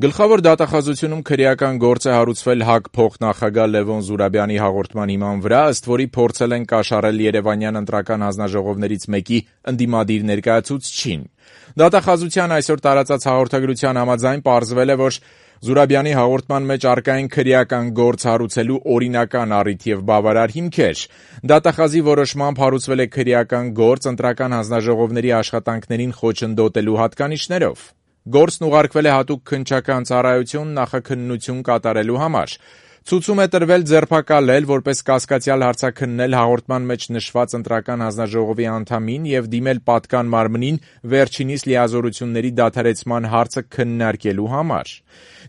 Գլխավոր դատախազությունում քրեական գործ է հարուցվել ՀԱԿ փոխնախագահ Լևոն Զուրաբյանի հաղորդման հիման վրա, ըստ որի փորձել են կաշառել Երևանյան ընտրական հանձնաժողովներից մեկի ընդդիմադիր ներկայացուցչին։ Դատախազության այսօր տարածած հաղորդագրության համաձայն պարզվել է, որ Զուրաբյանի հաղորդման մեջ առկա են քրեական գործ հարուցելու օրինական առիթ եւ բավարար հիմքեր։ Դատախազի որոշմամբ հարուցվել է քրեական գործ ընտրական հանձնաժողովների աշխատանքներին խոչընդոտելու հատկանիշներով։ Գործն ուղարկվել է հատուկ քննչական ծառայություն նախաքննություն կատարելու համար։ Ցուցում է տրվել ձերբակալել, որպես կասկածյալ հարցաքննել հաղորդման մեջ նշված ընտրական հանձնաժողովի անդամին եւ դիմել պատկան մարմնին վերջինիս լիազորությունների դադարեցման հարցը քննարկելու համար։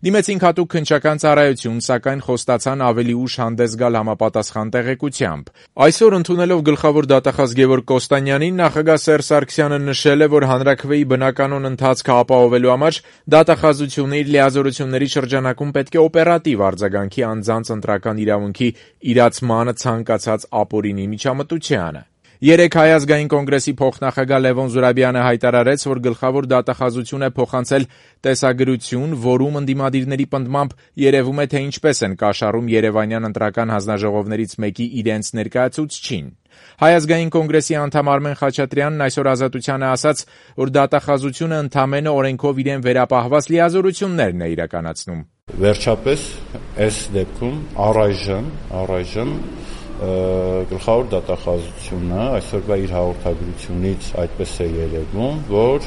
Դիմեցինք հատուկ քննչական ծառայություն, սակայն խոստացան ավելի ուշ հանդես գալ համապատասխան տեղեկությամբ։ Այսօր ընդունելով գլխավոր դատախազ Գևորգ Կոստանյանին, նախագահ Սերժ Սարգսյանը նշել է, որ հանրաքվեի բնականոն ընթացքը ապահովելու համար դատախազությունը իր լիազորությունների շրջանակում պետք է օպերատիվ արձագանքի անձանց ընտրական իրավունքի իրացմանը ցանկացած ապօրինի միջամտությանը։ Երեկ Հայ ազգային կոնգրեսի փոխնախագահ Լևոն Զուրաբյանը հայտարարեց, որ գլխավոր դատախազություն է փոխանցել տեսագրություն, որում ընդդիմադիրների պնդմամբ երևում է, թե ինչպես են կաշառում Երևանյան ընտրական հանձնաժողովներից մեկի իրենց ներկայացուցչին։ Հայ ազգային կոնգրեսի անդամ Արմեն Խաչատրյանն այսօր Ազատությանը ասաց, որ դատախազությունը ընդամենը օրենքով իրեն վերապահված լիազորություններն է իրականացնում։ Վերջապես այս դեպքում առայժմ գլխավոր դատախազությունը այսօրվա իր հաղորդագրությունից այդպես է երևում, որ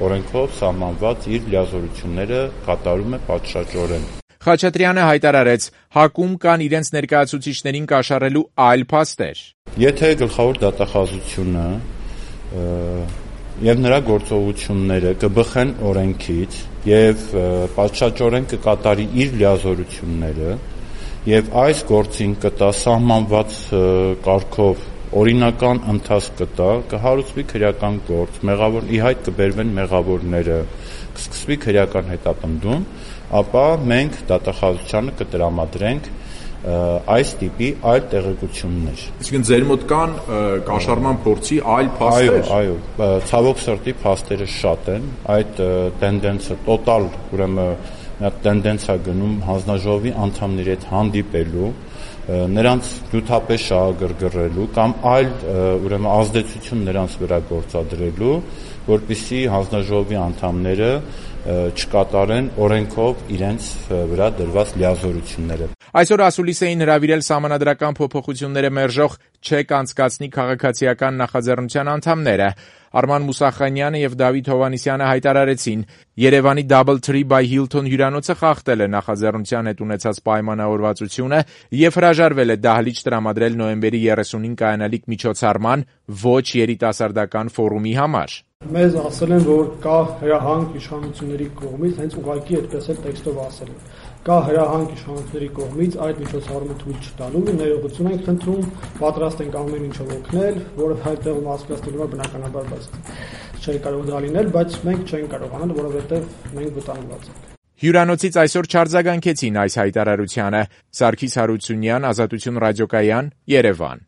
օրենքով սահմանված իր լիազորությունները կատարում է պատշաճորեն։ Խաչատրյանը հայտարարեց, ՀԱԿ-ում կան իրենց ներկայացուցիչներին կաշառելու այլ փաստեր։ Եթե գլխավոր դատախազությունը եւ նրա գործողությունները կբխեն օրենքից եւ պատշաճորեն կկատարի իր լիազորությունները եւ այս գործին կտա սահմանված կարգով օրինական ընթացք կտա, կհարուցվի քրեական գործ, ի հայտ կբերվեն մեղավորները, կսկսվի քրեական հետապնդում, ապա մենք դատախազությանը կտրամադրենք այս տիպի այլ տեղեկություններ։ Այսինքն ձեր մոտ կան կաշառման փորձի այլ փաստեր։ Այո, ցավոք սրտի փաստերը շատ են, այդ տենդենսը տոտալ, ուրեմն նա տենդենս է գնում հանձնաժողովի անդամների հետ հանդիպելու, նրանց նյութապես շահագրգռելու կամ այլ ուրեմն ազդեցություն նրանց վրա գործադրելու, որպեսզի հանձնաժողովի անդամները չկատարեն օրենքով իրենց վրա դրված լիազորությունները։ Այսօր ասուլիս էին հրավիրել սահմանադրական փոփոխությունները մերժող չեք անցկացնի քաղաքացիական նախաձեռնության անդամները։ Արման Մուսախանյանը եւ Դավիթ Հովհաննիսյանը հայտարարեցին, Երևանի Doubletree by Hilton հյուրանոցը խախտել է նախաձեռնության հետ ունեցած պայմանավորվածությունը եւ հրաժարվել է դահլիճ տրամադրել նոյեմբերի 30-ին կայանալիք միջոցառման ոչ երիտասարդական ֆորումի համար։ Մեզ ասել են, որ կա հրահանգ իշխանությունների կողմից, հենց ուղղակի այդպես էլ տեքստով ասել են։ Կա հրահանգ իշխանությունների կողմից այդ միջոցառումը թույլ չտալու, ներողություն ենք խնդրում, պատրաստ ենք ամեն ինչով օգնել, որը հայտեղում հասկացնելու է բնականաբար, բայց չէ կարող դա լինել, բայց մենք չենք կարողանալ, որովհետև մենք վտանգված ենք։ Հյուրանոցից այսօր չարձագանքեցին այս հայտարարությանը։ Սարգիս Հարությունյան, Ազատություն ռադիոկայան, Երևան։